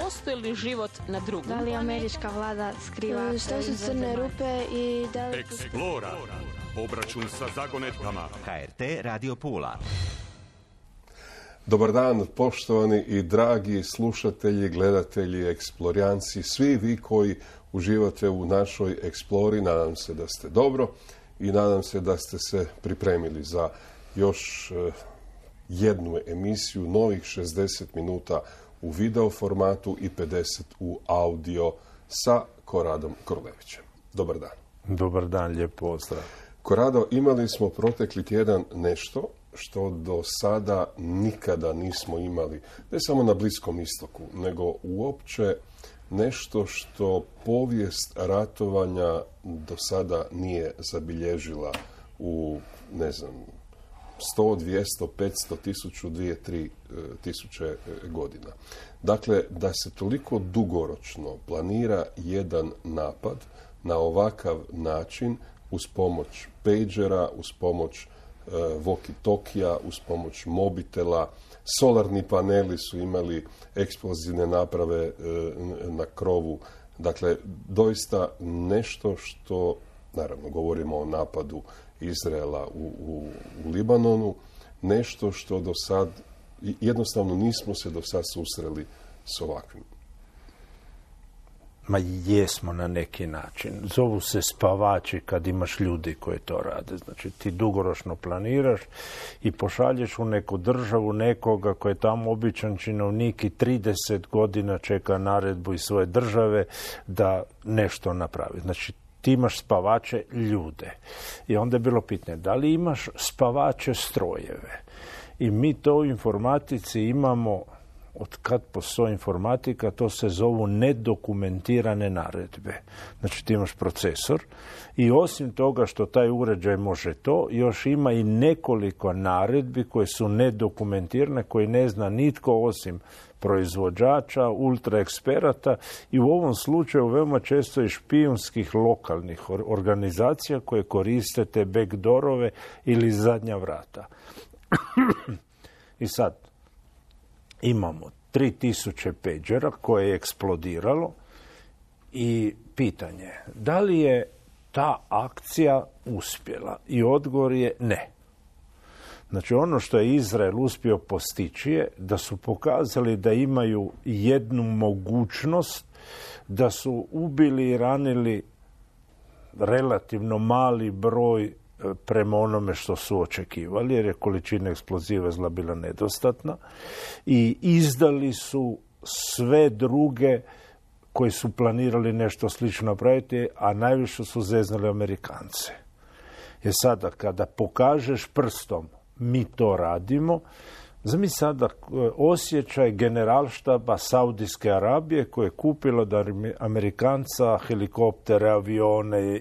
postoji li život na drugom? Da li američka vlada skriva? Što su crne rupe i da li... Eksplora. Obračun sa zagonetkama. HRT Radio Pula. Dobar dan, poštovani i dragi slušatelji, gledatelji, eksplorijanci, svi vi koji uživate u našoj eksplori. Nadam se da ste dobro i nadam se da ste se pripremili za još jednu emisiju, novih 60 minuta u video formatu i 50 u audio sa Koradom Korlevićem. Dobar dan. Dobar dan, lijep pozdrav. Korado, imali smo protekli tjedan nešto što do sada nikada nismo imali, ne samo na Bliskom istoku, nego uopće nešto što povijest ratovanja do sada nije zabilježila u, 100, 200, 500, 1000, 2, 3 tisuće godina. Dakle, da se toliko dugoročno planira jedan napad na ovakav način, uz pomoć pagera, uz pomoć walkie-talkija, uz pomoć mobitela, solarni paneli su imali eksplozivne naprave na krovu. Dakle, doista nešto što, naravno, govorimo o napadu Izraela u Libanonu, nešto što do sad, jednostavno nismo se do sad susreli s ovakvim. Ma jesmo na neki način. Zovu se spavači kad imaš ljudi koji to rade. Znači ti dugoročno planiraš i pošalješ u neku državu nekoga koji je tamo običan činovnik i 30 godina čeka naredbu iz svoje države da nešto napravi. Znači ti imaš spavače ljude. I onda je bilo pitanje, da li imaš spavače strojeve? I mi to u informatici imamo, od kad postoji informatika, to se zovu nedokumentirane naredbe. Znači ti imaš procesor i osim toga što taj uređaj može to, još ima i nekoliko naredbi koje su nedokumentirane, koje ne zna nitko osim proizvođača, ultraeksperata i u ovom slučaju veoma često i špijunskih lokalnih organizacija koje koriste te backdoorove ili zadnja vrata. I sad, imamo 3000 pagera koje je eksplodiralo i pitanje, da li je ta akcija uspjela? I odgovor je ne. Znači ono što je Izrael uspio postići je da su pokazali da imaju jednu mogućnost, da su ubili i ranili relativno mali broj prema onome što su očekivali, jer je količina eksploziva zla bila nedostatna i izdali su sve druge koji su planirali nešto slično napraviti, a najviše su zeznali Amerikance. Jer sada kada pokažeš prstom mi to radimo, zamisli sada osjećaj generalštaba Saudijske Arabije koje je kupilo od Amerikanca helikoptere, avione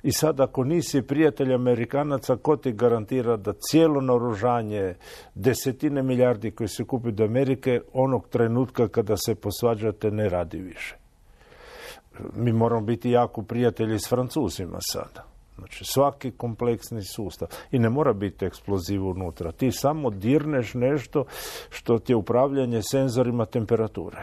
i sad ako nisi prijatelj Amerikanaca, ko ti garantira da cijelo naoružanje, desetine milijardi koje se kupi do Amerike, onog trenutka kada se posvađate ne radi više. Mi moramo biti jako prijatelji s Francuzima sada. Znači, svaki kompleksni sustav. I ne mora biti eksploziv unutra. Ti samo dirneš nešto što ti je upravljanje senzorima temperature.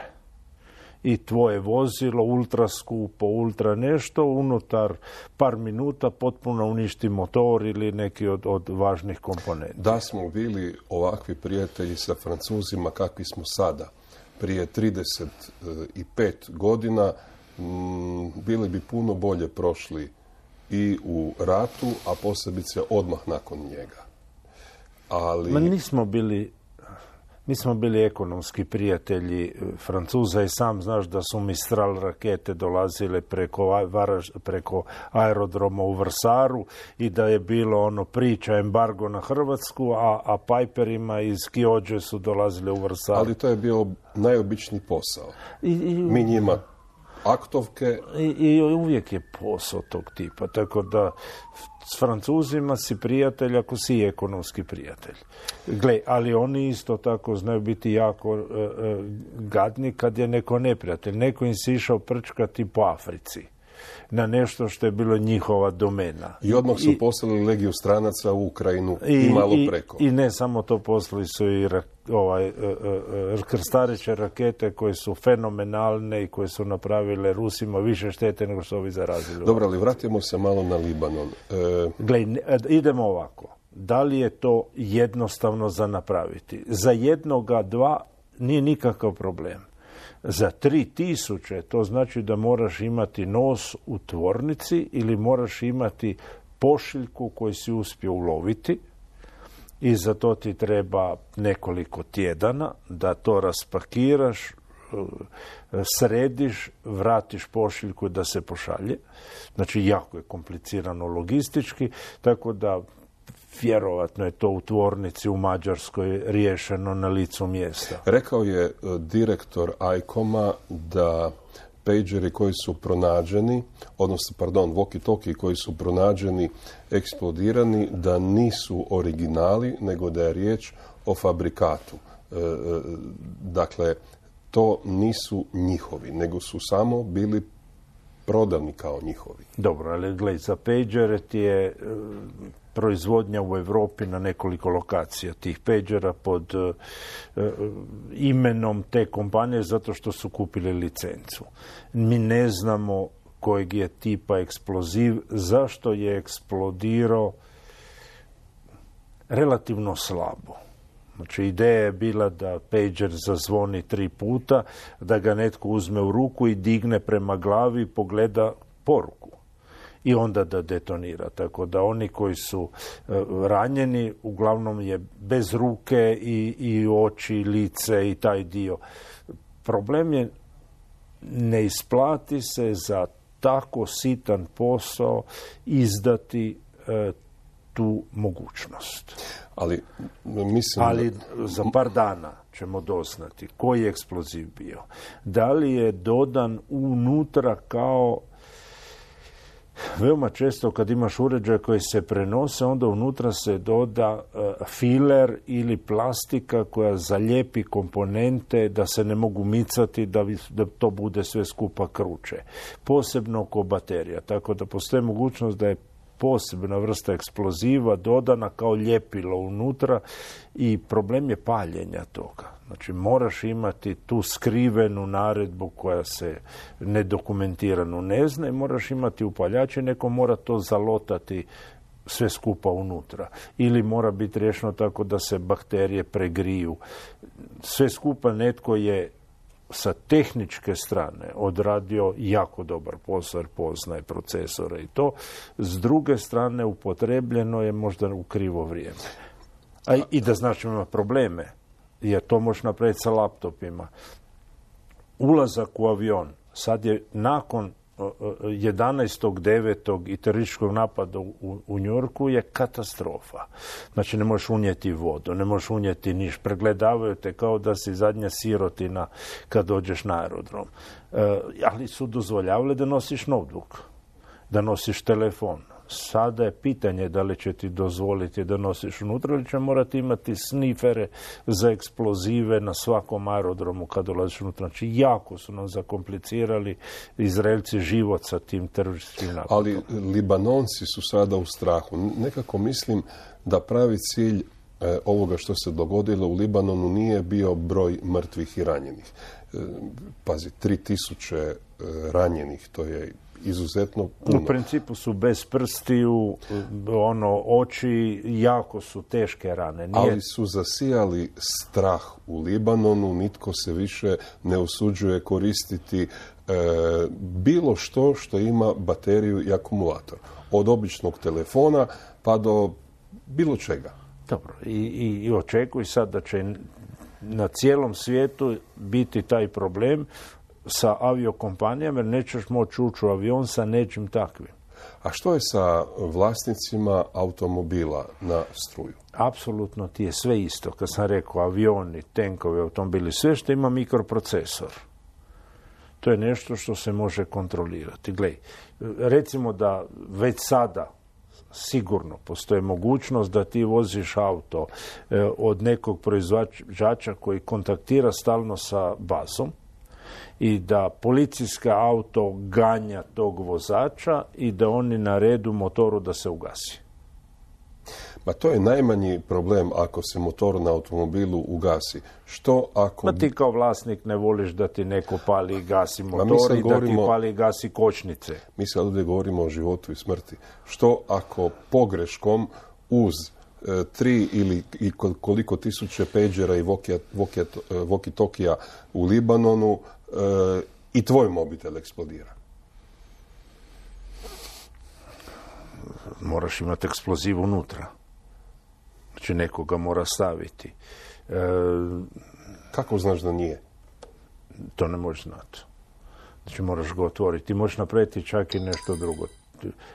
I tvoje vozilo, ultra skupo, ultra nešto, unutar par minuta potpuno uništi motor ili neki od važnih komponenta. Da smo bili ovakvi prijatelji sa Francuzima kakvi smo sada, prije 35 godina, bili bi puno bolje prošli i u ratu, a posebice odmah nakon njega. Ali... Mi smo bili ekonomski prijatelji Francuza i sam znaš da su Mistral rakete dolazile preko aerodroma u Vrsaru i da je bilo priča embargo na Hrvatsku, a Piperima iz Kiođe su dolazile u Vrsaru. Ali to je bio najobičniji posao. Mi njima aktovke. I uvijek je posao tog tipa. Tako da s Francuzima si prijatelj ako si ekonomski prijatelj. Gle, ali oni isto tako znaju biti jako gadni kad je neko neprijatelj. Neko im se išao prčkati po Africi. na nešto što je bilo njihova domena. I odmah su poslali legiju stranaca u Ukrajinu i malo preko. I ne samo to, poslali su i krstareće rakete koje su fenomenalne i koje su napravile Rusima više štete nego što ovi zarazili. Dobro, ali vratimo se malo na Libanon. Gle, idemo ovako. Da li je to jednostavno za napraviti? Za jednoga, dva nije nikakav problem. Za 3000 to znači da moraš imati nos u tvornici ili moraš imati pošiljku koju si uspio uloviti i za to ti treba nekoliko tjedana da to raspakiraš, središ, vratiš pošiljku da se pošalje. Znači, jako je komplicirano logistički, tako da vjerovatno je to u tvornici u Mađarskoj riješeno na licu mjesta. Rekao je direktor ICOM-a da pageri koji su pronađeni, odnosno, walkie-talkie koji su pronađeni, eksplodirani, da nisu originali, nego da je riječ o fabrikatu. Dakle, to nisu njihovi, nego su samo bili prodani kao njihovi. Dobro, ali gledaj, za pagere ti je proizvodnja u Europi na nekoliko lokacija tih pagera pod imenom te kompanije zato što su kupili licencu. Mi ne znamo kojeg je tipa eksploziv, zašto je eksplodirao relativno slabo. Znači, ideja je bila da pager zazvoni 3 puta, da ga netko uzme u ruku i digne prema glavi i pogleda poruku. I onda da detonira. Tako da oni koji su ranjeni, uglavnom je bez ruke i oči, lice i taj dio. Problem je, ne isplati se za tako sitan posao izdati tu mogućnost. Ali za par dana ćemo doznati koji je eksploziv bio. Da li je dodan unutra kao... Veoma često kad imaš uređaj koji se prenose, onda unutra se doda filer ili plastika koja zalijepi komponente da se ne mogu micati, da to bude sve skupa kruče. Posebno oko baterija. Tako da postoji mogućnost da je posebna vrsta eksploziva dodana kao ljepilo unutra i problem je paljenja toga. Znači, moraš imati tu skrivenu naredbu koja se nedokumentirano ne zna i moraš imati upaljač i neko mora to zalotati sve skupa unutra. Ili mora biti riješeno tako da se bakterije pregriju. Sve skupa netko je sa tehničke strane odradio jako dobar posao jer poznaje procesore i to. S druge strane upotrebljeno je možda u krivo vrijeme. I da znači ima probleme, jer to možeš napraviti sa laptopima. Ulazak u avion sad je nakon 11.9. i terorističkog napada u New Yorku je katastrofa. Znači, ne možeš unijeti vodu, ne možeš unijeti niš. Pregledavaju te kao da si zadnja sirotina kad dođeš na aerodrom. Ali su dozvoljavali da nosiš notebook, da nosiš telefon. Sada je pitanje da li će ti dozvoliti da nosiš unutra ili će morati imati snifere za eksplozive na svakom aerodromu kad dolaziš unutra. Znači, jako su nam zakomplicirali Izraelci život sa tim terorističkim napadom. Ali Libanonci su sada u strahu. Nekako mislim da pravi cilj ovoga što se dogodilo u Libanonu nije bio broj mrtvih i ranjenih. Pazi, 3000 ranjenih, to je izuzetno puno. U principu su bez prstiju, oči, jako su teške rane. Ali su zasijali strah u Libanonu, nitko se više ne usuđuje koristiti bilo što ima bateriju i akumulator. Od običnog telefona pa do bilo čega. Dobro, i očekuj sad da će na cijelom svijetu biti taj problem sa aviokompanijama, jer nećeš moći ući u avion sa nečim takvim. A što je sa vlasnicima automobila na struju? Apsolutno ti je sve isto. Kad sam rekao avioni, tenkovi, automobili, sve što ima mikroprocesor. To je nešto što se može kontrolirati. Glej, recimo da već sada sigurno postoji mogućnost da ti voziš auto od nekog proizvođača koji kontaktira stalno sa bazom i da policijska auto ganja tog vozača i da oni naredu motoru da se ugasi. Ma to je najmanji problem ako se motor na automobilu ugasi. Što ako... Ma ti kao vlasnik ne voliš da ti neko pali i gasi motor i da ti pali i gasi kočnice. Mi sad ovdje govorimo o životu i smrti. Što ako pogreškom uz 3 ili koliko tisuće pagera i walkie-talkija u Libanonu i tvoj mobitel eksplodira? Moraš imati eksploziv unutra. Znači nekoga mora staviti. Kako znaš da nije? To ne možeš znati. Znači moraš ga otvoriti. Ti možeš napraviti čak i nešto drugo.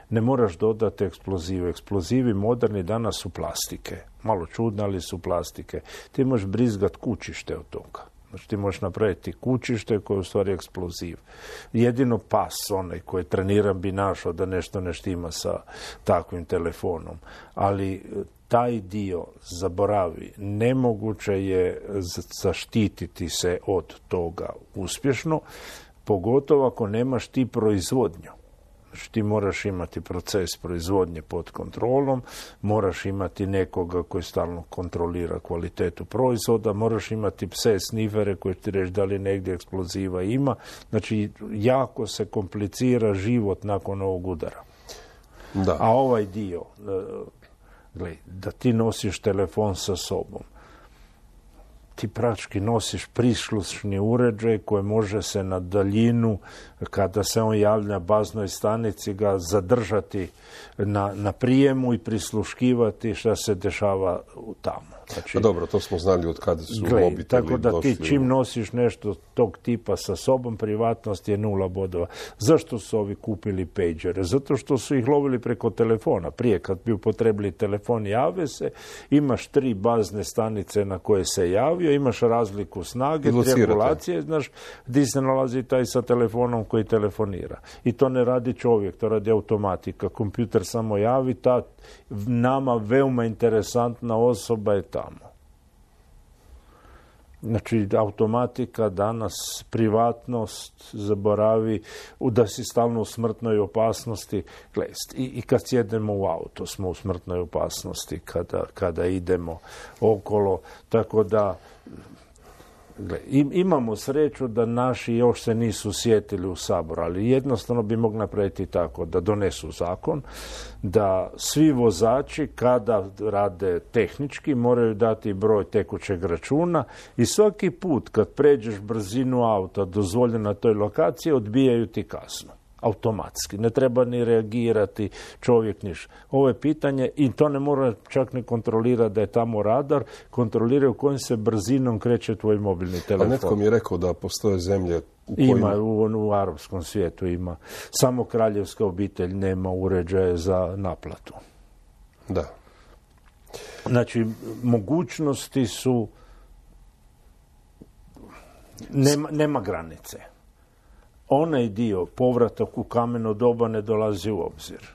Ne moraš dodati eksplozivu. Eksplozivi moderni danas su plastike. Malo čudne, ali su plastike. Ti možeš brizgat kućište od toga. Znači ti možeš napraviti kućište koje je u stvari eksploziv. Jedino pas, onaj koji treniram, bi našao da nešto ne štima sa takvim telefonom. Ali taj dio zaboravi. Nemoguće je zaštititi se od toga uspješno, pogotovo ako nemaš ti proizvodnju. Znači ti moraš imati proces proizvodnje pod kontrolom, moraš imati nekoga koji stalno kontrolira kvalitetu proizvoda, moraš imati pse snifere koji ti reći da li negdje eksploziva ima. Znači jako se komplicira život nakon ovog udara. Da. A ovaj dio, gledaj, da ti nosiš telefon sa sobom, ti praktički nosiš prislušni uređaj koji može se na daljinu, kada se on javlja baznoj stanici, ga zadržati na prijemu i prisluškivati šta se dešava tamo. Znači, dobro, to smo znali od kada su mobiteli došli. Tako da ti čim nosiš nešto tog tipa sa sobom, privatnost je 0 bodova. Zašto su ovi kupili pagere? Zato što su ih lovili preko telefona. Prije kad bi upotrebili telefon, jave se, imaš 3 bazne stanice na koje se javio, imaš razliku snage, triangulacije, znaš gdje se nalazi taj sa telefonom koji telefonira. I to ne radi čovjek, to radi automatika. Kompjuter samo javi, ta nama veoma interesantna osoba je tamo. Znači, automatika danas, privatnost, zaboravi da si stalno u smrtnoj opasnosti. I kad sjedemo u auto smo u smrtnoj opasnosti, kada idemo okolo. Tako da, imamo sreću da naši još se nisu sjetili u Saboru, ali jednostavno bi mogli napraviti tako da donesu zakon, da svi vozači kada rade tehnički moraju dati broj tekućeg računa i svaki put kad pređeš brzinu auta dozvoljeno na toj lokaciji odbijaju ti kaznu. Automatski. Ne treba ni reagirati čovjek niš. Ovo je pitanje i to ne mora čak ni kontrolirati da je tamo radar, kontroliraju kojim se brzinom kreće tvoj mobilni telefon. A netko mi je rekao da postoje zemlje u kojima... Ima, u arapskom svijetu ima. Samo kraljevska obitelj nema uređaje za naplatu. Da. Znači, mogućnosti su... Nema granice. Onaj dio, povratak u kameno doba, ne dolazi u obzir.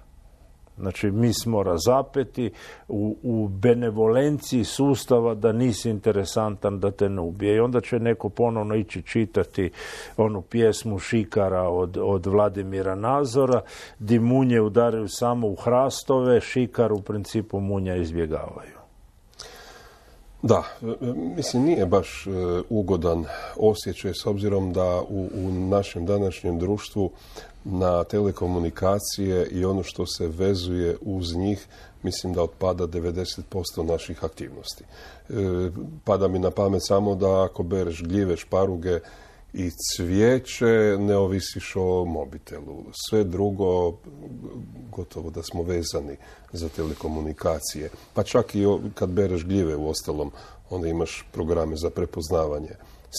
Znači, mi smo razapeti u benevolenciji sustava da nisi interesantan, da te ne ubije. I onda će neko ponovno ići čitati onu pjesmu Šikara od Vladimira Nazora, di munje udaraju samo u hrastove, Šikar u principu munja izbjegavaju. Da, mislim nije baš ugodan osjećaj s obzirom da u našem današnjem društvu na telekomunikacije i ono što se vezuje uz njih, mislim da otpada 90% naših aktivnosti. Pada mi na pamet samo da ako bereš gljive, šparuge i cvijeće, ne ovisiš o mobitelu. Sve drugo, gotovo da smo vezani za telekomunikacije. Pa čak i kad bereš gljive u ostalom, onda imaš programe za prepoznavanje.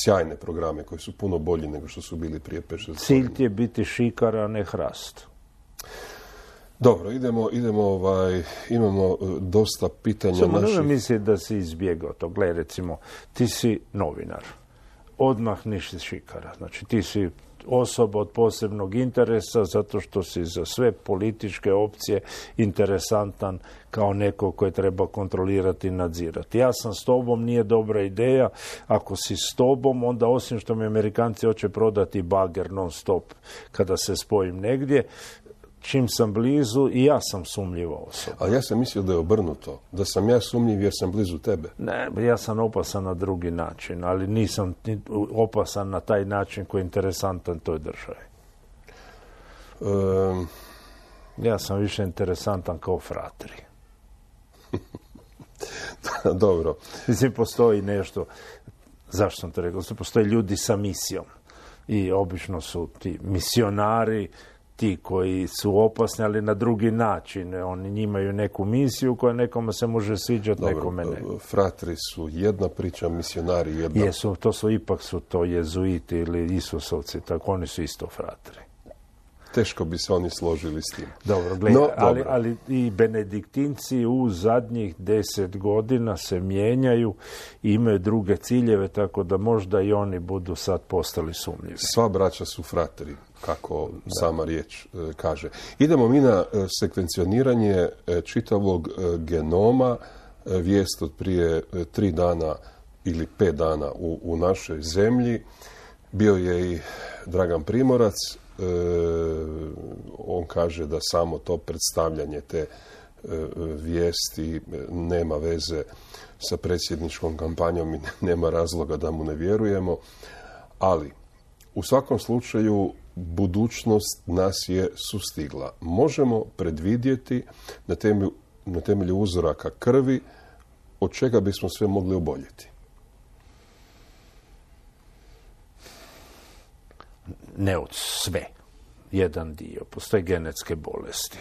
Sjajne programe koji su puno bolji nego što su bili prije 5-6 godina. Cilj ti je biti šikar, a ne hrast. Dobro, imamo dosta pitanja Samo naših... Samo ne misli da si izbjegao to. Gle, recimo, ti si novinar. odmah niš šikara. Znači ti si osoba od posebnog interesa zato što si za sve političke opcije interesantan kao neko koje treba kontrolirati i nadzirati. Ja sam s tobom, nije dobra ideja. Ako si s tobom, onda osim što mi Amerikanci hoće prodati bager non stop kada se spojim negdje, čim sam blizu i ja sam sumnjiva osoba. Ali ja sam mislio da je obrnuto. Da sam ja sumnjiv jer sam blizu tebe. Ne, ja sam opasan na drugi način, ali nisam opasan na taj način koji je interesantan toj državi. Ja sam više interesantan kao fratri. Dobro. Mislim, postoji nešto, zašto sam to rekao, postoje ljudi sa misijom. I obično su ti misionari, ti koji su opasni, ali na drugi način. Oni imaju neku misiju koja nekome se može sviđati, nekome ne. Fratri su jedna priča, misionari jedna. Jesu, ipak su to jezuiti ili Isusovci, tako oni su isto fratri. Teško bi se oni složili s tim. Dobro, gledaj, ali i benediktinci u zadnjih 10 godina se mijenjaju i imaju druge ciljeve, tako da možda i oni budu sad postali sumnjivi. Sva braća su fratri, kako sama riječ kaže. Idemo mi na sekvencioniranje čitavog genoma, vijest od prije 3 dana ili 5 dana u našoj zemlji. Bio je i Dragan Primorac. On kaže da samo to predstavljanje te vijesti nema veze sa predsjedničkom kampanjom i nema razloga da mu ne vjerujemo, ali u svakom slučaju budućnost nas je sustigla. Možemo predvidjeti na temelju uzoraka krvi od čega bismo sve mogli oboljeti. Ne od sve. Jedan dio. Postoje genetske bolesti.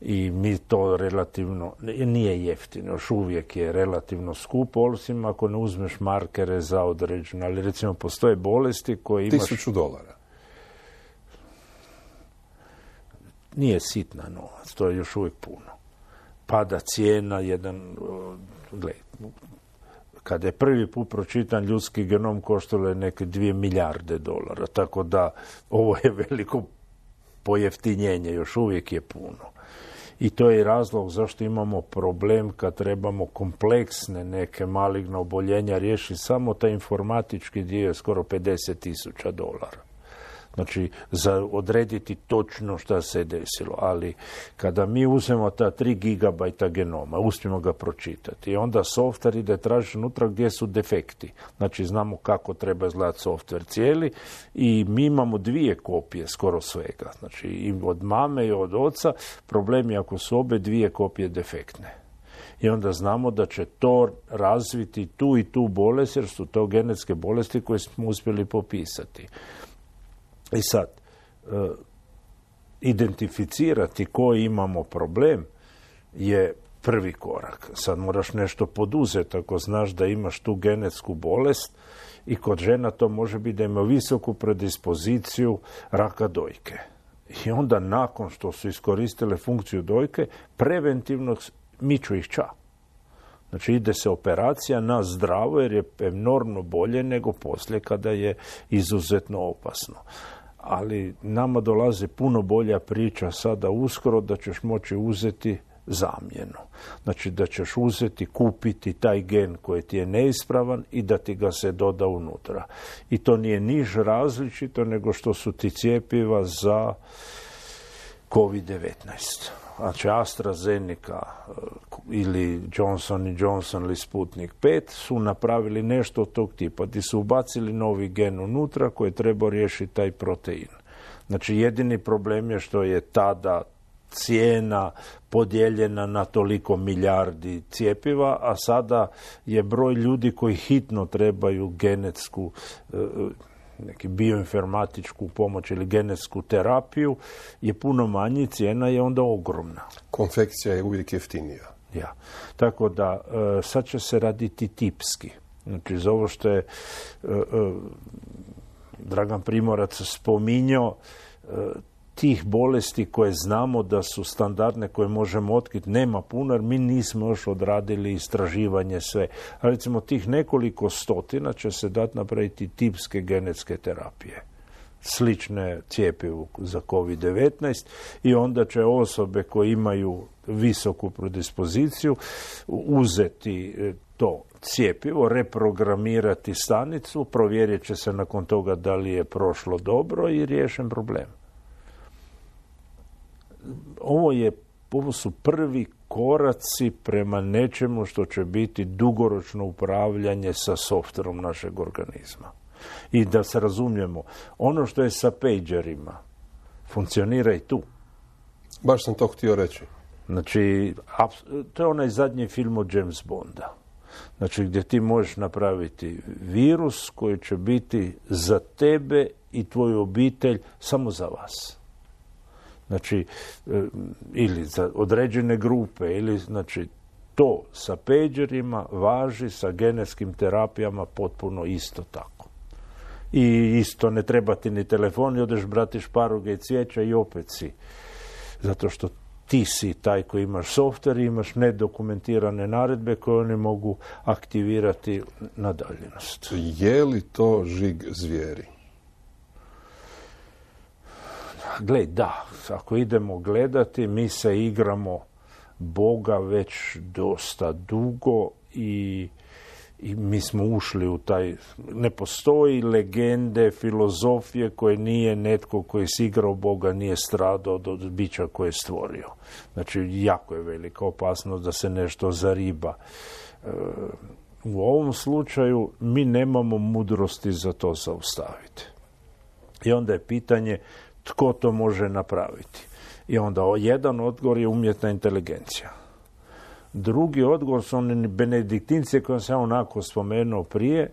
I mi to relativno, nije jeftino, još uvijek je relativno skupo, osim ako ne uzmeš markere za određeno. Ali recimo postoje bolesti koje imaš... $1000. Nije sitna novac, to je još uvijek puno. Pada cijena, kada je prvi put pročitan ljudski genom, koštalo je neke $2 milijarde, tako da ovo je veliko pojeftinjenje, još uvijek je puno. I to je razlog zašto imamo problem kad trebamo kompleksne neke maligne oboljenja riješiti. Samo taj informatički dio je skoro $50,000. Znači, za odrediti točno šta se desilo. Ali kada mi uzmemo ta 3 gigabajta genoma, uspijemo ga pročitati, i onda softver ide tražiti unutra gdje su defekti. Znači, znamo kako treba izgledati softver cijeli i mi imamo 2 kopije skoro svega. Znači, i od mame i od oca. Problem je ako su obe 2 kopije defektne. I onda znamo da će to razviti tu i tu bolest, jer su to genetske bolesti koje smo uspjeli popisati. I sad, identificirati koji imamo problem je prvi korak. Sad moraš nešto poduzeti ako znaš da imaš tu genetsku bolest i kod žena to može biti da ima visoku predispoziciju raka dojke. I onda nakon što su iskoristile funkciju dojke, preventivno miču ih ča. Znači ide se operacija na zdravo jer je enormno bolje nego poslije kada je izuzetno opasno. Ali nama dolazi puno bolja priča sada uskoro da ćeš moći uzeti zamjenu. Znači da ćeš uzeti, kupiti taj gen koji ti je neispravan i da ti ga se doda unutra. I to nije niš različito nego što su ti cjepiva za COVID-19. Znači AstraZeneca ili Johnson & Johnson ili Sputnik 5 su napravili nešto od tog tipa, gdje su ubacili novi gen unutra koji treba riješiti taj protein. Znači jedini problem je što je tada cijena podijeljena na toliko milijardi cjepiva, a sada je broj ljudi koji hitno trebaju genetsku neki bioinformatičku pomoć ili genetsku terapiju je puno manji, cijena je onda ogromna. Konfekcija je uvijek jeftinija. Ja. Tako da sad će se raditi tipski. Znači za ovo što je Dragan Primorac spominjao, tih bolesti koje znamo da su standardne, koje možemo otkriti, nema puno, jer mi nismo još odradili istraživanje sve. A recimo tih nekoliko stotina će se dati napraviti tipske genetske terapije, slične cjepivu za COVID-19, i onda će osobe koje imaju visoku predispoziciju uzeti to cjepivo, reprogramirati stanicu, provjerit će se nakon toga da li je prošlo dobro i riješen problem. Ovo su prvi koraci prema nečemu što će biti dugoročno upravljanje sa softverom našeg organizma. I da se razumijemo, ono što je sa pagerima funkcionira i tu. Baš sam to htio reći. Znači, to je onaj zadnji film od James Bonda. Znači, gdje ti možeš napraviti virus koji će biti za tebe i tvoju obitelj samo za vas. Znači, ili za određene grupe, ili znači to sa pagerima važi, sa genetskim terapijama potpuno isto tako. I isto ne treba ti ni telefon, i odeš brati šparoge i cvijeća i opet si. Zato što ti si taj koji imaš softver i imaš nedokumentirane naredbe koje oni mogu aktivirati na daljinost. Je li to žig zvijeri? Gle, da. Ako idemo gledati, mi se igramo Boga već dosta dugo i mi smo ušli u taj... Ne postoji legende, filozofije koje nije netko koji si igrao Boga, nije stradao od bića koje je stvorio. Znači, jako je velika opasnost da se nešto zariba. U ovom slučaju mi nemamo mudrosti za to zaustaviti. I onda je pitanje tko to može napraviti. I onda jedan odgovor je umjetna inteligencija. Drugi odgovor su oni benediktinci koje sam onako spomenuo prije,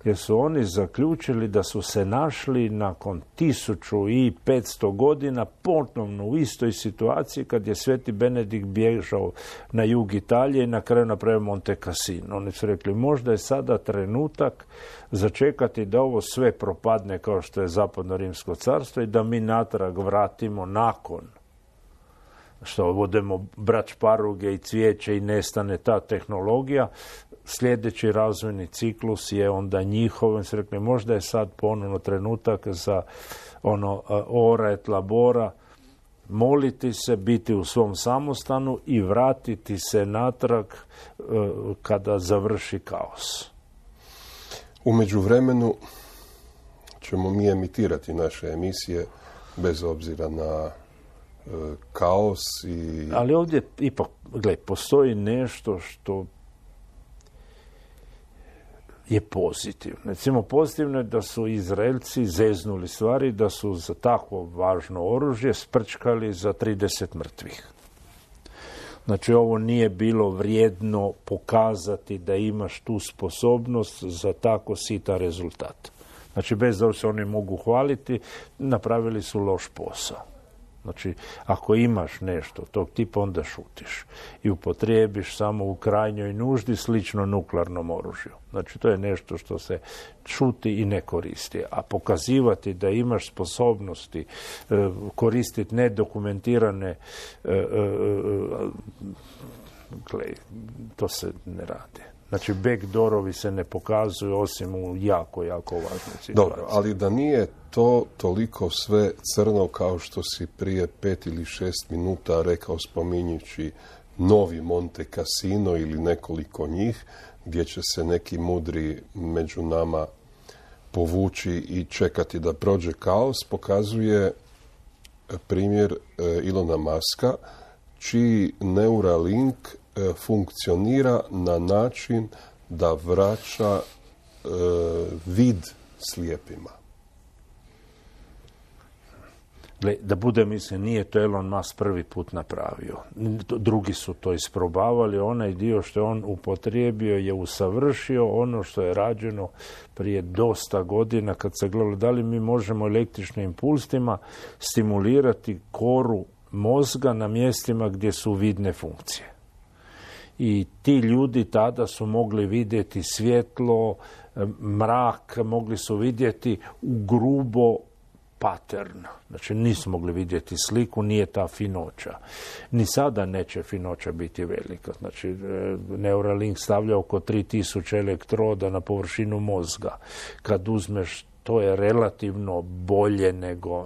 jer su oni zaključili da su se našli nakon 1500 godina ponovno u istoj situaciji kad je Sveti Benedikt bježao na jug Italije i na kraju napravio Monte Cassino. Oni su rekli, možda je sada trenutak začekati da ovo sve propadne kao što je Zapadno Rimsko carstvo i da mi natrag vratimo nakon što vodemo brać šparoge i cvijeće i nestane ta tehnologija. Sljedeći razvojni ciklus je onda njihov. Se rekli, možda je sad ponovno trenutak za ora et labora, moliti se, biti u svom samostanu i vratiti se natrag kada završi kaos. U međuvremenu ćemo mi emitirati naše emisije bez obzira na kaos i... Ali ovdje ipak, postoji nešto što je pozitivno. Recimo, pozitivno je da su Izraelci zeznuli stvari, da su za takvo važno oružje sprčkali za 30 mrtvih. Znači, ovo nije bilo vrijedno pokazati da imaš tu sposobnost za tako sitan rezultat. Znači, bez da se oni mogu hvaliti, napravili su loš posao. Znači, ako imaš nešto tog tipa, onda šutiš i upotrijebiš samo u krajnjoj nuždi, slično nuklearnom oružju. Znači, to je nešto što se šuti i ne koristi. A pokazivati da imaš sposobnosti koristiti nedokumentirane to se ne radi. Znači, backdoorovi se ne pokazuju osim u jako, jako važnoj situaciji. Dobro, ali da nije to toliko sve crno kao što si prije 5 ili 6 minuta rekao spominjući novi Monte Cassino ili nekoliko njih, gdje će se neki mudri među nama povući i čekati da prođe kaos, pokazuje primjer Ilona Muska, čiji Neuralink funkcionira na način da vraća vid slijepima. Da bude, mislim, nije to Elon Musk prvi put napravio. Drugi su to isprobavali. Onaj dio što je on upotrijebio je usavršio ono što je rađeno prije dosta godina kad se gledalo da li mi možemo električnim impulsima stimulirati koru mozga na mjestima gdje su vidne funkcije. I ti ljudi tada su mogli vidjeti svjetlo, mrak, mogli su vidjeti u grubo pattern. Znači nisu mogli vidjeti sliku, nije ta finoća. Ni sada neće finoća biti velika. Znači Neuralink stavlja oko 3000 elektroda na površinu mozga. Kad uzmeš, to je relativno bolje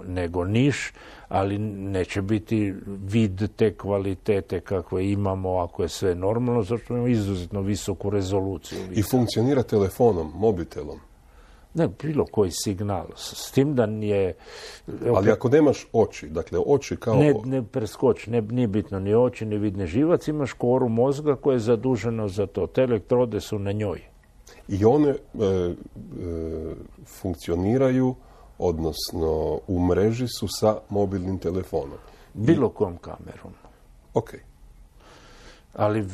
nego niš, ali neće biti vid te kvalitete kakve imamo ako je sve normalno, zato imamo izuzetno visoku rezoluciju. I funkcionira telefonom, mobitelom. Ne, bilo koji signal. S tim da je... Ali ako nemaš oči, dakle oči kao... Ne preskoči, nije bitno ni oči, ni vidni živac, imaš koru mozga koja je zadužena za to. Te elektrode su na njoj. I one funkcioniraju, odnosno u mreži su sa mobilnim telefonom. Bilo kojom kamerom. Ok. Ali,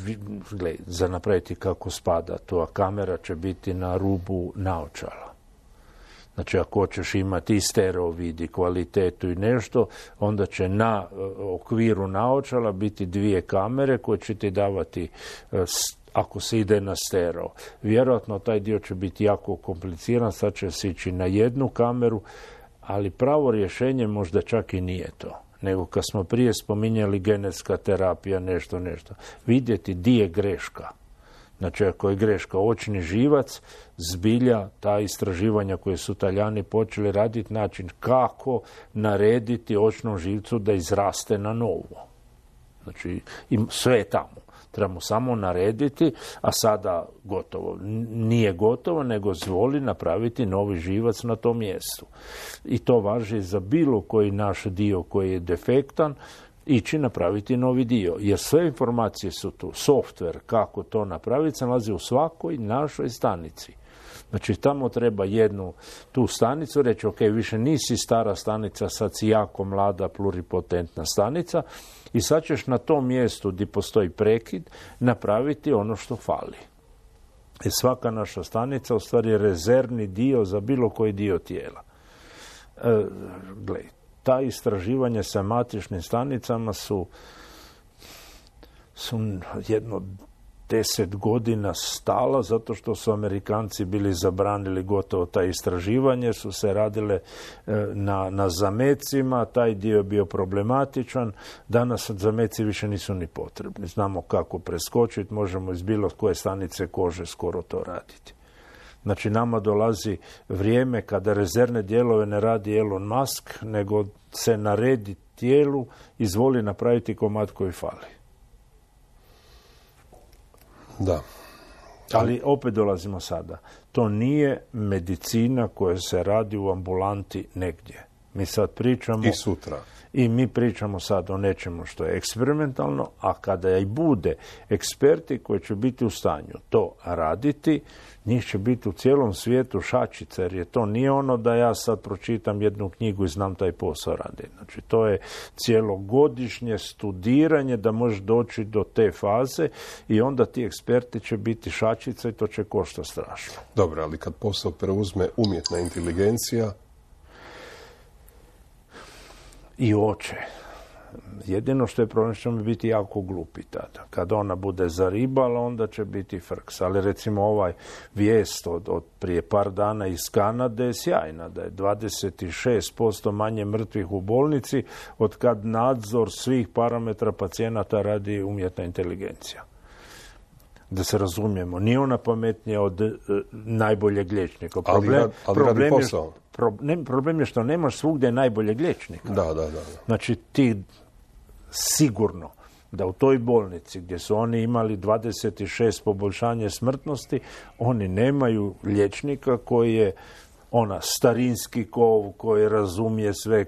gledaj, za napraviti kako spada to, a kamera će biti na rubu naočala. Znači, ako hoćeš imati i stereo vid i kvalitetu i nešto, onda će na okviru naočala biti 2 kamere koje će ti davati, ako se ide na stereo. Vjerojatno taj dio će biti jako kompliciran, sad će se ići na 1 kameru, ali pravo rješenje možda čak i nije to. Nego kad smo prije spominjali genetska terapija, nešto. Vidjeti di je greška. Znači, ako je greška očni živac, zbilja ta istraživanja koje su Talijani počeli raditi, način kako narediti očnom živcu da izraste na novo. Znači, sve je tamo. Trebamo samo narediti, a sada gotovo. Nije gotovo, nego zvoli napraviti novi živac na tom mjestu. I to važi za bilo koji naš dio koji je defektan, ići napraviti novi dio. Jer sve informacije su tu. Software, kako to napraviti, se nalazi u svakoj našoj stanici. Znači, tamo treba jednu tu stanicu reći, ok, više nisi stara stanica, sad si jako mlada, pluripotentna stanica i sad ćeš na tom mjestu gdje postoji prekid napraviti ono što fali. I svaka naša stanica u stvari je rezervni dio za bilo koji dio tijela. Gledaj, ta istraživanja sa matičnim stanicama su jedno 10 godina stala, zato što su Amerikanci bili zabranili gotovo ta istraživanje, su se radile na zamecima, taj dio je bio problematičan, danas zameci više nisu ni potrebni. Znamo kako preskočiti, možemo iz bilo koje stanice kože skoro to raditi. Znači, nama dolazi vrijeme kada rezervne dijelove ne radi Elon Musk, nego se naredi tijelu, izvoli napraviti komad koji fali. Da. Ali opet dolazimo sada. To nije medicina koja se radi u ambulanti negdje. Mi sad pričamo... I sutra. I mi pričamo sad o nečemu što je eksperimentalno, a kada i bude eksperti koji će biti u stanju to raditi, njih će biti u cijelom svijetu šačice, jer je to nije ono da ja sad pročitam jednu knjigu i znam taj posao raditi. Znači, to je cijelogodišnje studiranje da možeš doći do te faze i onda ti eksperti će biti šačice i to će koštati strašno. Dobro, ali kad posao preuzme umjetna inteligencija, i oče. Jedino što je problem, što će biti jako glupi tada. Kad ona bude zaribala, onda će biti frks. Ali recimo ovaj vijest od prije par dana iz Kanade je sjajna, da je 26% manje mrtvih u bolnici od kad nadzor svih parametra pacijenata radi umjetna inteligencija. Da se razumijemo, nije ona pametnija od najboljeg liječnika. Problem je što nemaš svugdje najboljeg liječnika. Da. Znači, ti sigurno da u toj bolnici gdje su oni imali 26 poboljšanje smrtnosti, oni nemaju liječnika koji je starinski kov, koji razumije sve,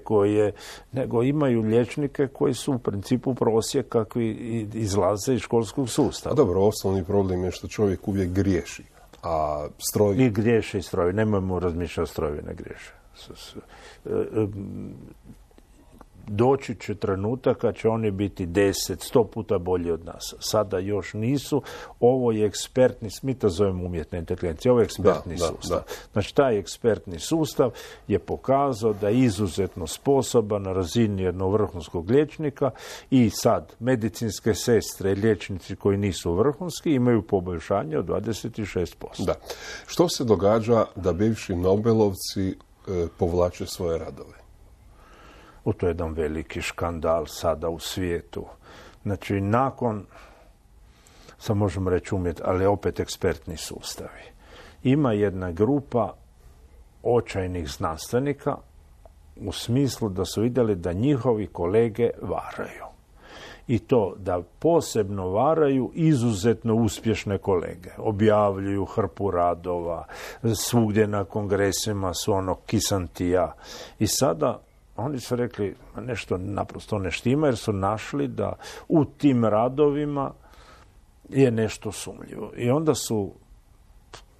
nego imaju liječnike koji su u principu prosjek kakvi izlaze iz školskog sustava. A dobro, osnovni problem je što čovjek uvijek griješi. A stroji... I griješe i stroji. Nemojmo razmišljati, strojevi ne griješe. Doći će trenutak kad će oni biti 10-100 puta bolji od nas. Sada još nisu. Ovo je ekspertni, mi to zovemo umjetna inteligencija, ovo je ekspertni sustav. Da. Znači, taj ekspertni sustav je pokazao da je izuzetno sposoban na razini jednog vrhunskog liječnika i sad medicinske sestre i liječnici koji nisu vrhunski imaju poboljšanje od 26%. Da. Što se događa da bivši Nobelovci povlače svoje radove? To je jedan veliki škandal sada u svijetu. Znači, nakon, sad možemo reći ali opet ekspertni sustavi. Ima jedna grupa očajnih znanstvenika u smislu da su vidjeli da njihovi kolege varaju. I to da posebno varaju izuzetno uspješne kolege. Objavljuju hrpu radova, svugdje na kongresima su kisantija. I sada oni su rekli nešto naprosto ne štima jer su našli da u tim radovima je nešto sumnjivo. I onda su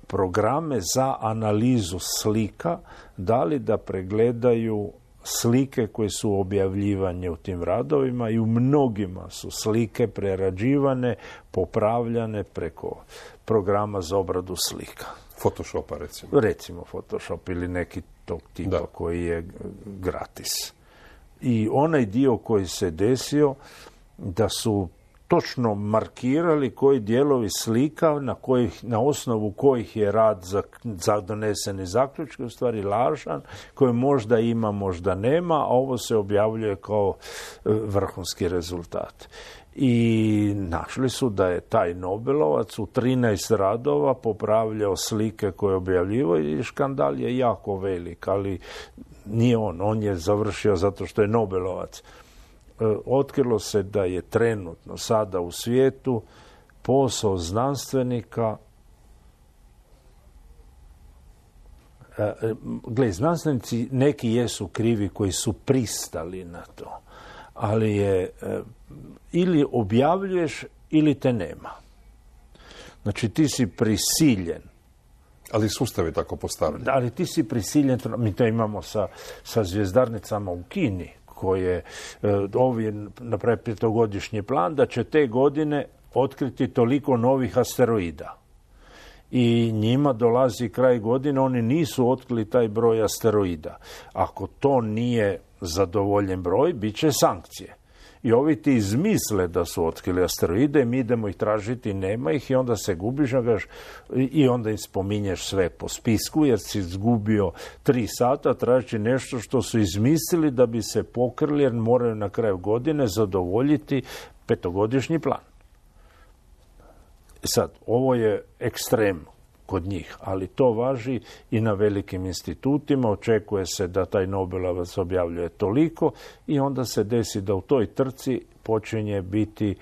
programe za analizu slika dali da pregledaju slike koje su objavljivane u tim radovima i u mnogima su slike prerađivane, popravljane preko programa za obradu slika. Photoshopa recimo. Recimo Photoshop ili neki tog tipa koji je gratis. I onaj dio koji se desio da su točno markirali koji dijelovi slika na osnovu kojih je rad za doneseni zaključak u stvari lažan, koji možda ima, možda nema, a ovo se objavljuje kao vrhunski rezultat. I našli su da je taj Nobelovac u 13 radova popravljao slike koje je objavljivao i škandal je jako velik, ali nije on je završio zato što je Nobelovac. Otkrilo se da je trenutno sada u svijetu posao znanstvenika, znanstvenici neki jesu krivi koji su pristali na to, ali je ili objavljuješ ili te nema. Znači ti si prisiljen. Ali sustav je tako postavljen. Ali ti si prisiljen, mi to imamo sa zvjezdarnicama u Kini, koje ovi napravi 5-godišnji plan da će te godine otkriti toliko novih asteroida. I njima dolazi kraj godine, oni nisu otkrili taj broj asteroida. Ako to nije zadovoljen broj, bit će sankcije. I ovi ti izmisle da su otkrili asteroide, mi idemo ih tražiti, nema ih i onda se gubiš i onda im spominješ sve po spisku jer si izgubio 3 sata traži nešto što su izmislili da bi se pokrili jer moraju na kraju godine zadovoljiti 5-godišnji plan. Sad, ovo je ekstrem kod njih, ali to važi i na velikim institutima. Očekuje se da taj Nobelovac objavljuje toliko i onda se desi da u toj trci počinje biti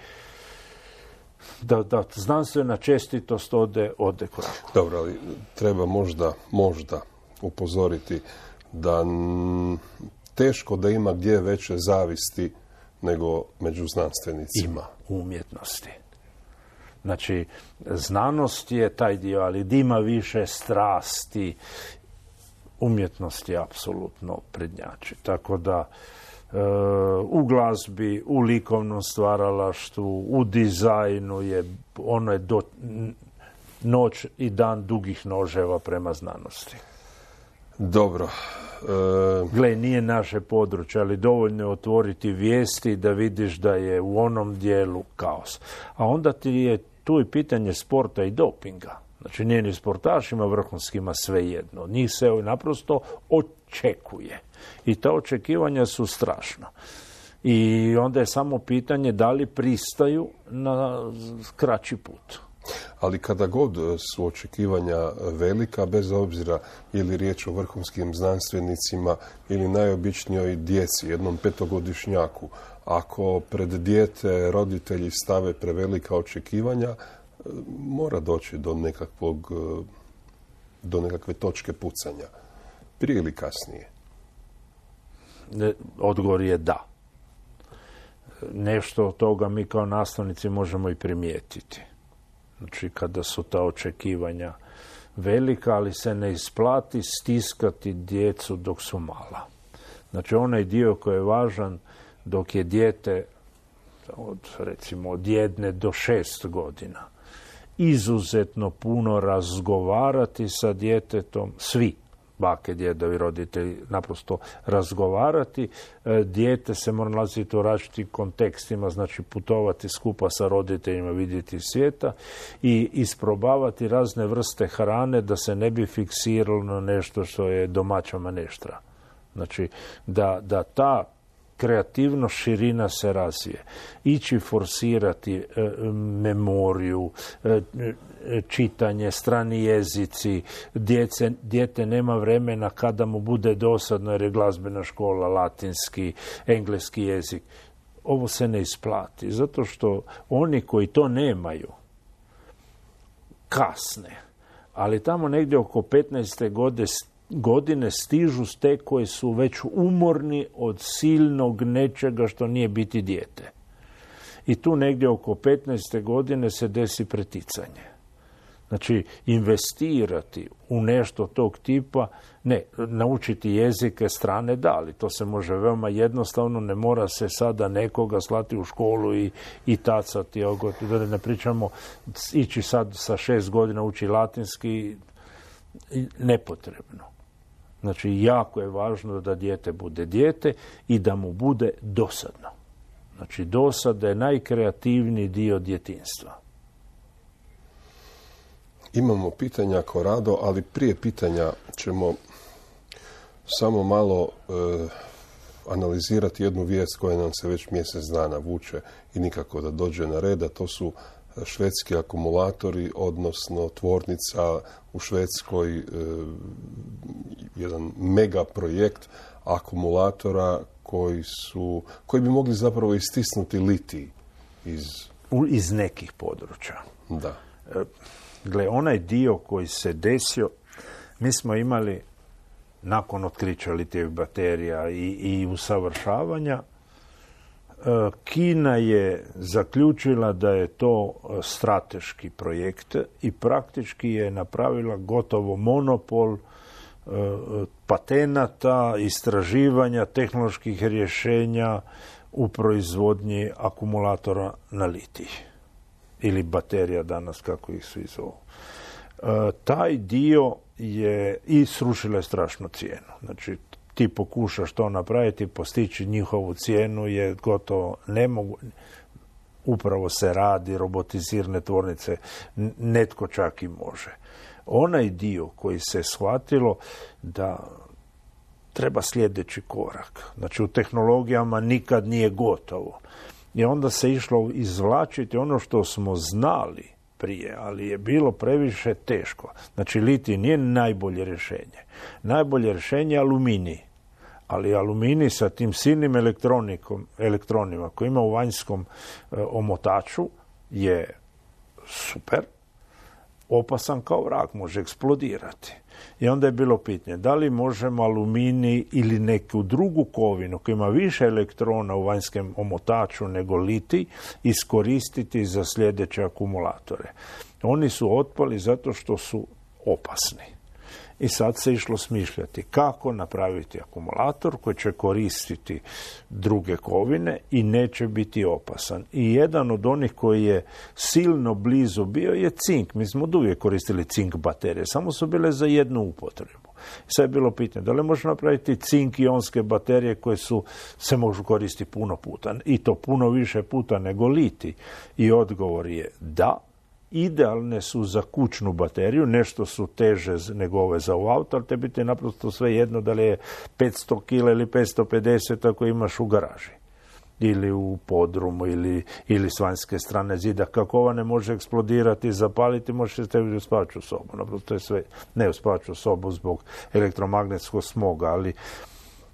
da znanstvena čestitost ode korak. Dobro, ali treba možda upozoriti da teško da ima gdje veće zavisti nego među znanstvenicima. Ima u umjetnosti. Znači, znanost je taj dio, ali da ima više strasti, umjetnost je apsolutno prednjači. Tako da u glazbi, u likovnom stvaralaštvu, u dizajnu ono je noć i dan dugih noževa prema znanosti. Dobro. Gle, nije naše područje, ali dovoljno je otvoriti vijesti da vidiš da je u onom dijelu kaos. A onda ti je tu i pitanje sporta i dopinga. Znači, nije ni sportašima vrhunskima svejedno. Od njih se naprosto očekuje. I ta očekivanja su strašna. I onda je samo pitanje da li pristaju na kraći put. Ali kada god su očekivanja velika, bez obzira ili riječ o vrhunskim znanstvenicima ili najobičnijoj djeci, jednom 5-godišnjaku, ako pred dijete roditelji stave prevelika očekivanja, mora doći do nekakve točke pucanja. Prije ili kasnije? Odgovor je da. Nešto od toga mi kao nastavnici možemo i primijetiti. Znači, kada su ta očekivanja velika, ali se ne isplati stiskati djecu dok su mala. Znači, onaj dio koji je važan dok je dijete od 1 do 6 godina. Izuzetno puno razgovarati sa djetetom, svi, bake, djedovi, roditelji, naprosto razgovarati. Dijete se mora nalaziti u različitim kontekstima, znači putovati skupa sa roditeljima, vidjeti svijeta i isprobavati razne vrste hrane da se ne bi fiksiralo na nešto što je domaća maneštra. Znači, da ta kreativnost, širina se razvije. Ići forsirati memoriju, čitanje, strani jezici, dijete nema vremena kada mu bude dosadno jer je glazbena škola, latinski, engleski jezik. Ovo se ne isplati, zato što oni koji to nemaju kasne, ali tamo negdje oko 15. godine stižu te koji su već umorni od silnog nečega što nije biti dijete. I tu negdje oko 15. godine se desi preticanje. Znači, investirati u nešto tog tipa, ne, naučiti jezike strane da, ali to se može veoma jednostavno, ne mora se sada nekoga slati u školu i tacati, da ne pričamo, ići sad sa 6 godina uči latinski, nepotrebno. Znači, jako je važno da dijete bude dijete i da mu bude dosadno. Znači, dosada je najkreativniji dio djetinjstva. Imamo pitanja Korado, ali prije pitanja ćemo samo malo analizirati jednu vijest koja nam se već mjesec dana vuče i nikako da dođe na red, a to su švedski akumulatori, odnosno tvornica u Švedskoj, jedan mega projekt akumulatora koji bi mogli zapravo istisnuti litij iz nekih područja. Da. Gle, onaj dio koji se desio, mi smo imali nakon otkrića litijevih baterija i usavršavanja, Kina je zaključila da je to strateški projekt i praktički je napravila gotovo monopol patenata, istraživanja, tehnoloških rješenja u proizvodnji akumulatora na litij. Ili baterija danas, kako ih svi zovu. Taj dio je i srušila je strašnu cijenu. Znači, ti pokušaš to napraviti, postići njihovu cijenu je gotovo nemoguće. Upravo se radi, robotizirane tvornice, netko čak i može. Onaj dio koji se shvatilo da treba sljedeći korak. Znači, u tehnologijama nikad nije gotovo. I onda se išlo izvlačiti ono što smo znali prije, ali je bilo previše teško. Znači, litij nije najbolje rješenje. Najbolje rješenje je aluminij. Ali aluminij sa tim silnim elektronima koji ima u vanjskom omotaču je super, opasan kao vrag, može eksplodirati. I onda je bilo pitanje da li možemo aluminij ili neku drugu kovinu koja ima više elektrona u vanjskom omotaču nego litij iskoristiti za sljedeće akumulatore. Oni su otpali zato što su opasni. I sad se išlo smišljati kako napraviti akumulator koji će koristiti druge kovine i neće biti opasan. I jedan od onih koji je silno blizu bio je cink. Mi smo uvijek koristili cink baterije, samo su bile za jednu upotrebu. Sad je bilo pitanje da li može napraviti cink-ionske baterije koje se mogu koristiti puno puta i to puno više puta nego litij. I odgovor je da. Idealne su za kućnu bateriju, nešto su teže nego ove za u auto, ali te biti naprosto sve jedno da li je 500 kg ili 550 ako imaš u garaži ili u podrumu ili s vanjske strane zida. Kako ova ne može eksplodirati i zapaliti, možeš staviti u spavaću sobu. Naprosto je sve, ne u spavaću sobu zbog elektromagnetskog smoga, ali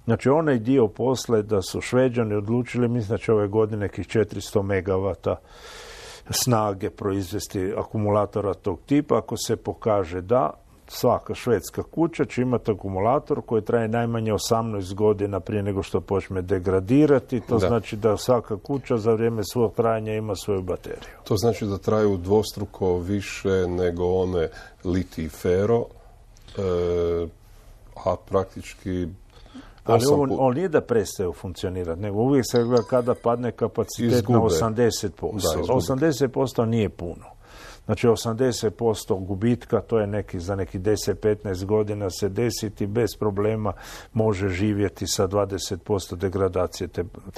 znači onaj dio posle da su Šveđani odlučili, mislim da će ove godine nekih 400 megavata snage proizvesti akumulatora tog tipa. Ako se pokaže da, svaka švedska kuća će imati akumulator koji traje najmanje 18 godina prije nego što počne degradirati. To znači da svaka kuća za vrijeme svog trajanja ima svoju bateriju. To znači da traju dvostruko više nego one litij fero, a praktički... Ali on nije da prestaje funkcionirati, nego uvijek se gleda kada padne kapacitet na 80%. 80% nije puno. Znači 80% gubitka, to je za nekih 10-15 godina se desiti bez problema, može živjeti sa 20% degradacije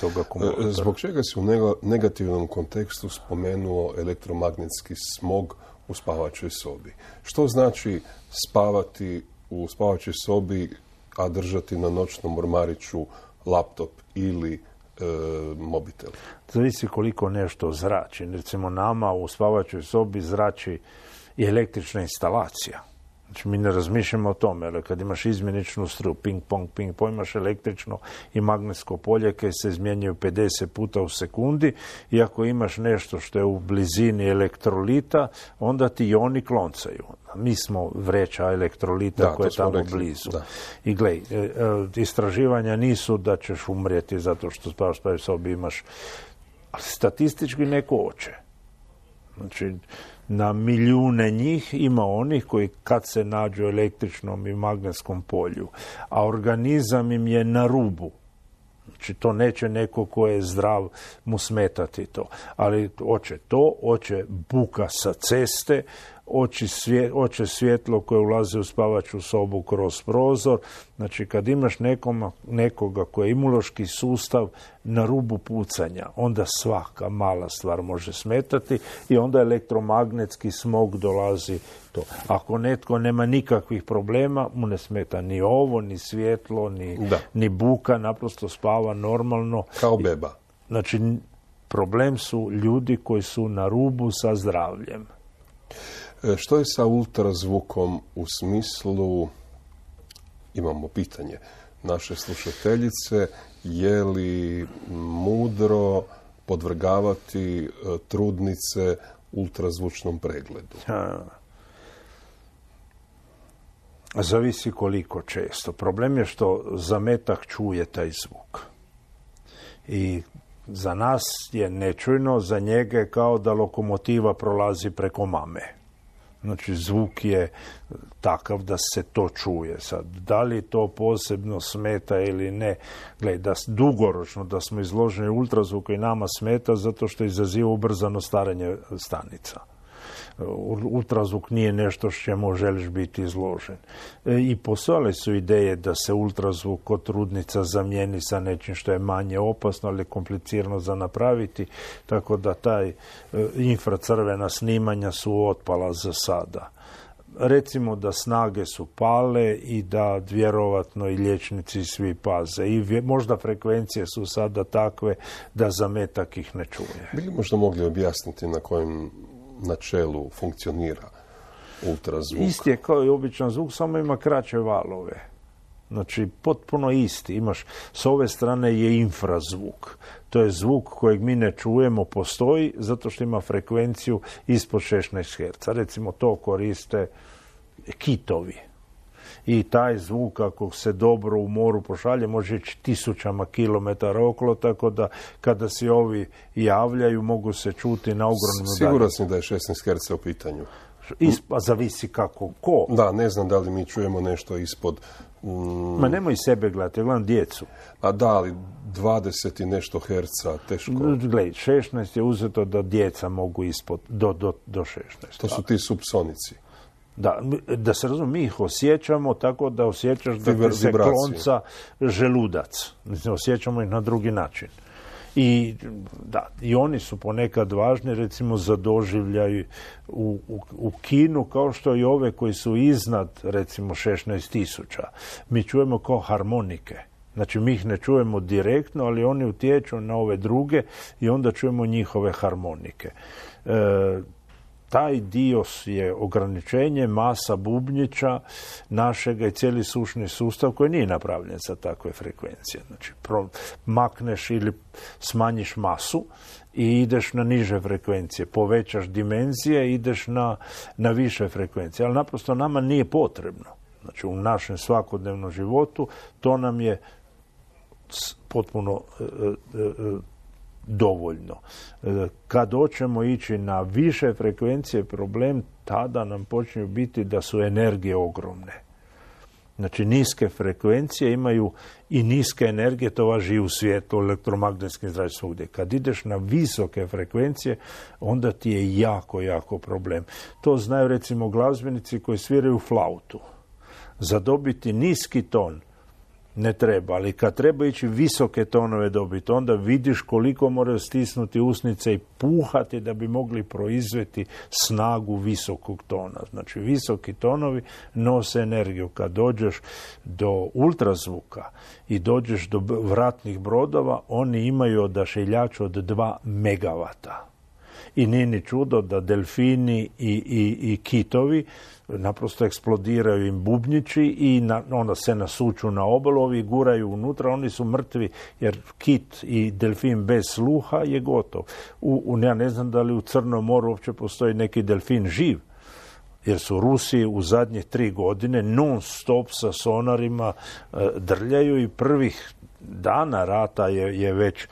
toga akumulatora. Zbog čega si u negativnom kontekstu spomenuo elektromagnetski smog u spavačoj sobi? Što znači spavati u spavačoj sobi, a držati na noćnom ormariću laptop ili mobitel? Zavisi koliko nešto zrači. Recimo nama u spavačoj sobi zrači i električna instalacija. Znači mi ne razmišljamo o tome, ali kad imaš izmjeničnu struju, ping pong, imaš električno i magnetsko polje koje se izmjenjuju 50 puta u sekundi i ako imaš nešto što je u blizini elektrolita, onda ti oni kloncaju. Mi smo vreća elektrolita koje je tamo blizu. Da. I glej, istraživanja nisu da ćeš umrijeti zato što spavaš u sobi imaš, ali statistički neko hoće. Znači, na milijune njih ima onih koji kad se nađu u električnom i magnetskom polju, a organizam im je na rubu. Znači, to neće neko ko je zdrav mu smetati to. Ali hoće buka sa ceste, hoće svjetlo koje ulazi u spavaču sobu kroz prozor. Znači, kad imaš nekoga koji je imunološki sustav na rubu pucanja, onda svaka mala stvar može smetati i onda elektromagnetski smog dolazi to. Ako netko nema nikakvih problema, mu ne smeta ni ovo, ni svjetlo, ni buka, naprosto spava normalno. Kao beba. Znači, problem su ljudi koji su na rubu sa zdravljem. Što je sa ultrazvukom u smislu, imamo pitanje naše slušateljice, je li mudro podvrgavati trudnice ultrazvučnom pregledu? Zavisi koliko često. Problem je što zametak čuje taj zvuk. I za nas je nečujno, za njega je kao da lokomotiva prolazi preko mame. Znači, zvuk je takav da se to čuje. Sad, da li to posebno smeta ili ne? Gledaj, dugoročno da smo izloženi ultrazvuku i nama smeta zato što izaziva ubrzano starenje stanica. Ultrazvuk nije nešto s čemu želiš biti izložen. I postojale su ideje da se ultrazvuk kod trudnica zamijeni sa nečim što je manje opasno, ali komplicirano za napraviti, tako da taj infracrvena snimanja su otpala za sada. Recimo da snage su pale i da vjerovatno i liječnici svi paze. I možda frekvencije su sada takve da zametak ih ne čuje. Bili možda mogli objasniti na kojem načelu funkcionira ultrazvuk? Isti je kao i običan zvuk, samo ima kraće valove. Znači, potpuno isti. Imaš, s ove strane je infrazvuk. To je zvuk kojeg mi ne čujemo, postoji, zato što ima frekvenciju ispod 16 Hz. Recimo, to koriste kitovi. I taj zvuk, ako se dobro u moru pošalje, može ići 1000 kilometara okolo, tako da kada se ovi javljaju, mogu se čuti na ogromnu dalje. Siguran sam da je 16 Hz u pitanju. Zavisi kako, ko. Da, ne znam da li mi čujemo nešto ispod... Ma nemoj sebe gledati, ja gledam djecu. A da, ali 20 i nešto herca, teško. Gledaj, 16 je uzeto da djeca mogu ispod, do 16. To su ti subsonici. Da se razumije, mi ih osjećamo tako da osjećaš da ti se klonca želudac. Mislim, osjećamo ih na drugi način. I oni su ponekad važni, recimo, za doživljaj u kinu, kao što i ove koji su iznad, recimo, 16.000. Mi čujemo kao harmonike. Znači, mi ih ne čujemo direktno, ali oni utječu na ove druge i onda čujemo njihove harmonike. Taj dio je ograničenje masa bubnjića našega i cijeli sušni sustav koji nije napravljen za takve frekvencije. Znači, makneš ili smanjiš masu i ideš na niže frekvencije. Povećaš dimenzije i ideš na više frekvencije. Ali naprosto nama nije potrebno. Znači, u našem svakodnevnom životu to nam je potpuno dovoljno. Kad hoćemo ići na više frekvencije, problem tada nam počinju biti da su energije ogromne. Znači, niske frekvencije imaju i niske energije, to važi i u svijetu, elektromagnetskim zračenjem svugdje. Kad ideš na visoke frekvencije, onda ti je jako, jako problem. To znaju, recimo, glazbenici koji sviraju flautu. Za dobiti niski ton ne treba, ali kad treba ići visoke tonove dobiti, onda vidiš koliko moraju stisnuti usnice i puhati da bi mogli proizvesti snagu visokog tona. Znači, visoki tonovi nose energiju. Kad dođeš do ultrazvuka i dođeš do vratnih brodova, oni imaju odašiljač od 2 megavata. I nije ni čudo da delfini i kitovi naprosto eksplodiraju im bubnjići i onda se nasuču na obalu, ovi guraju unutra, oni su mrtvi jer kit i delfin bez sluha je gotov. Ja ne znam da li u Crnom moru uopće postoji neki delfin živ, jer su Rusi u zadnje 3 godine non stop sa sonarima drljaju i prvih dana rata je već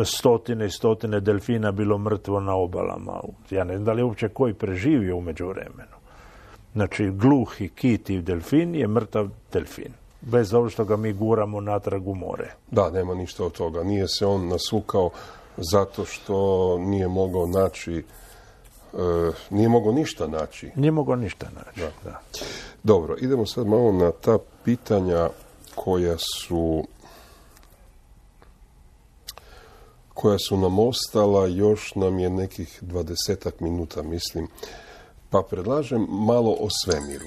stotine i stotine delfina bilo mrtvo na obalama. Ja ne znam da li uopće koji preživio u međuvremenu. Znači, gluhi kit i delfin je mrtav delfin. Bez ovo što ga mi guramo natrag u more. Da, nema ništa od toga. Nije se on nasukao zato što nije mogao naći, nije mogao ništa naći. Nije mogao ništa naći, da. Dobro, idemo sad malo na ta pitanja koja su nam ostala, još nam je nekih 20 minuta, mislim. Pa predlažem malo o svemiru.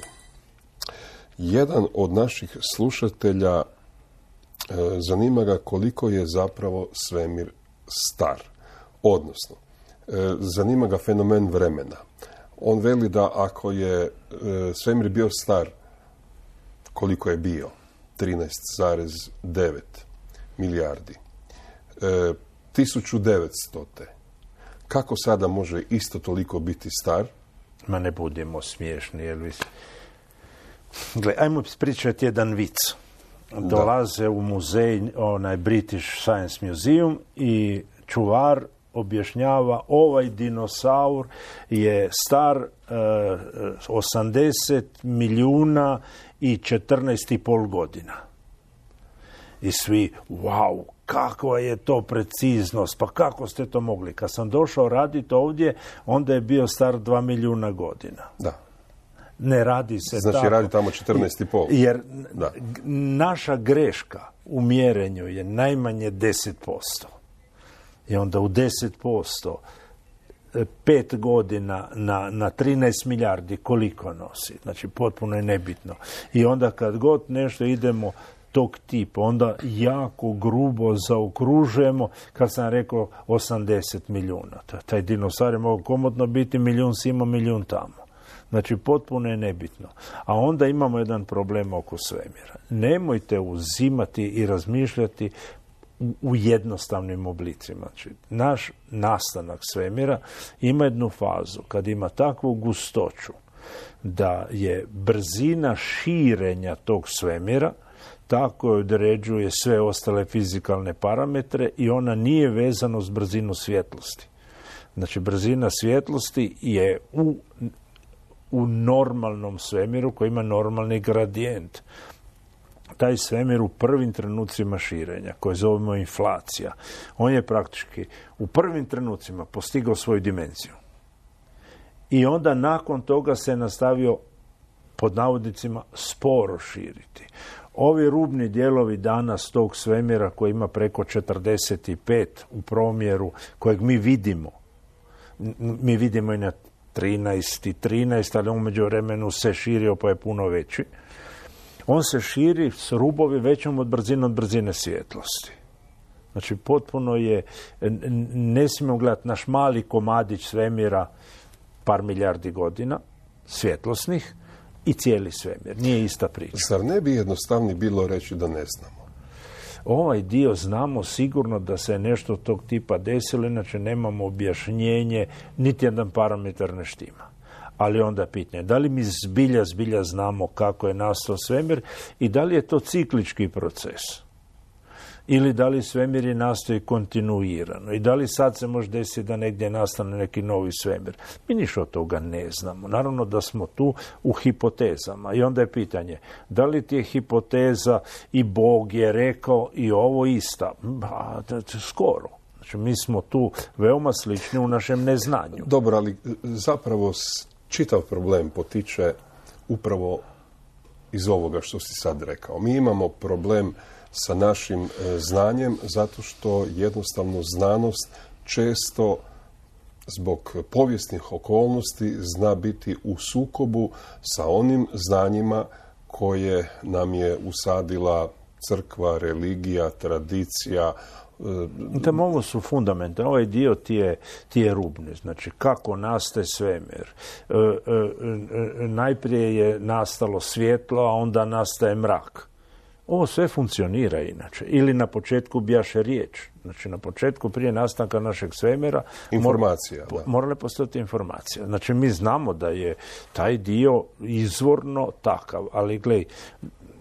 Jedan od naših slušatelja zanima ga koliko je zapravo svemir star. Odnosno, zanima ga fenomen vremena. On veli da ako je svemir bio star, koliko je bio? 13,9 milijardi. 1900. Kako sada može isto toliko biti star? Ma ne budemo smiješni, Elvis. Gle, ajmo pričati jedan vic. Dolaze u muzej, British Science Museum, i čuvar objašnjava, ovaj dinosaur je star 80 milijuna i 14,5 godina. I svi, wow, kakva je to preciznost, pa kako ste to mogli? Kad sam došao raditi ovdje, onda je bio star 2 milijuna godina. Da. Ne radi se znači, tako. Znači, radi tamo 14,5. Jer naša greška u mjerenju je najmanje 10%. I onda u 10%, 5 godina na 13 milijardi koliko nosi. Znači, potpuno je nebitno. I onda kad god nešto idemo tog tipa, onda jako grubo zaokružujemo, kad sam rekao 80 milijuna. Taj dinosaur je mogao komotno biti milijun simo, milijun tamo. Znači, potpuno je nebitno. A onda imamo jedan problem oko svemira. Nemojte uzimati i razmišljati u jednostavnim oblicima. Znači, naš nastanak svemira ima jednu fazu kad ima takvu gustoću da je brzina širenja tog svemira tako određuje sve ostale fizikalne parametre i ona nije vezana s brzinu svjetlosti. Znači, brzina svjetlosti je u normalnom svemiru koji ima normalni gradijent. Taj svemir u prvim trenucima širenja, koje zovemo inflacija, on je praktički u prvim trenucima postigao svoju dimenziju. I onda nakon toga se nastavio, pod navodnicima, sporo širiti. Ovi rubni dijelovi danas tog svemira koji ima preko 45 u promjeru, kojeg mi vidimo i na 13, ali on među vremenu se širio pa je puno veći. On se širi s rubovi većom od brzine svjetlosti. Znači, potpuno je, ne smijemo gledati naš mali komadić svemira par milijardi godina, svjetlosnih, i cijeli svemir. Nije ista priča. Zar ne bi jednostavnije bilo reći da ne znamo? Ovaj dio znamo sigurno da se nešto tog tipa desilo, inače nemamo objašnjenje, niti jedan parametar ne štima. Ali onda pitanje, da li mi zbilja znamo kako je nastao svemir i da li je to ciklički proces? Ili da li svemir je nastoji kontinuirano? I da li sad se može desiti da negdje nastane neki novi svemir? Mi ništa od toga ne znamo. Naravno da smo tu u hipotezama. I onda je pitanje, da li ti je hipoteza i Bog je rekao i ovo ista? Skoro. Znači, mi smo tu veoma slični u našem neznanju. Dobro, ali zapravo čitav problem potiče upravo iz ovoga što si sad rekao. Mi imamo problem sa našim znanjem zato što jednostavno znanost često zbog povijesnih okolnosti zna biti u sukobu sa onim znanjima koje nam je usadila crkva, religija, tradicija. Ovo su fundamente. Ovaj dio ti je rubni. Znači, kako nastaje svemir. Najprije je nastalo svjetlo, a onda nastaje mrak. Ovo sve funkcionira inače. Ili na početku bijaše riječ. Znači, na početku, prije nastanka našeg svemira, morale postojati informacija. Znači, mi znamo da je taj dio izvorno takav, ali gledaj,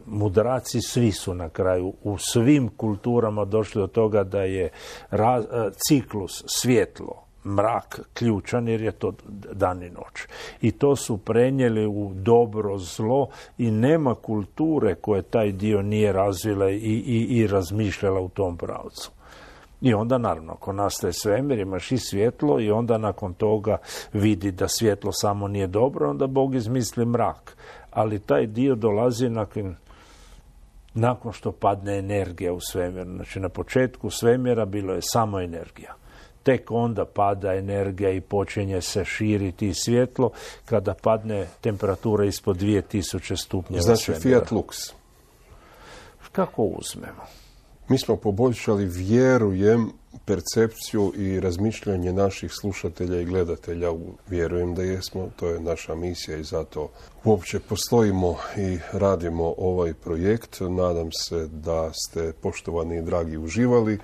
mudraci svi su na kraju u svim kulturama došli do toga da je ciklus svjetlo, mrak ključan, jer je to dan i noć. I to su prenijeli u dobro, zlo i nema kulture koje taj dio nije razvila i razmišljala u tom pravcu. I onda, naravno, ako nastaje svemir, imaš i svjetlo i onda nakon toga vidi da svjetlo samo nije dobro, onda Bog izmisli mrak. Ali taj dio dolazi nakon što padne energija u svemir. Znači, na početku svemira bilo je samo energija. Tek onda pada energija i počinje se širiti svjetlo kada padne temperatura ispod 2000 stupnjeva svemira. Znači, fiat lux. Kako uzmemo? Mi smo poboljšali, vjerujem, percepciju i razmišljanje naših slušatelja i gledatelja. Vjerujem da jesmo, to je naša misija i zato uopće postojimo i radimo ovaj projekt. Nadam se da ste, poštovani i dragi, uživali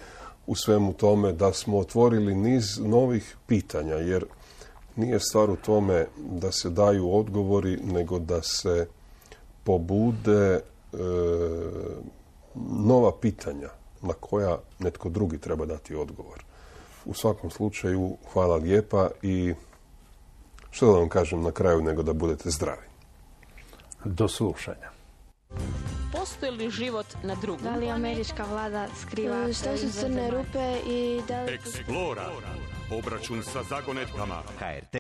u svemu tome, da smo otvorili niz novih pitanja, jer nije stvar u tome da se daju odgovori, nego da se pobude nova pitanja na koja netko drugi treba dati odgovor. U svakom slučaju, hvala lijepa i što da vam kažem na kraju nego da budete zdravi. Do slušanja. Postoji li život na drugom? Da li američka vlada skriva što su crne rupe i da li... Explora. Obračun sa zagonetkama.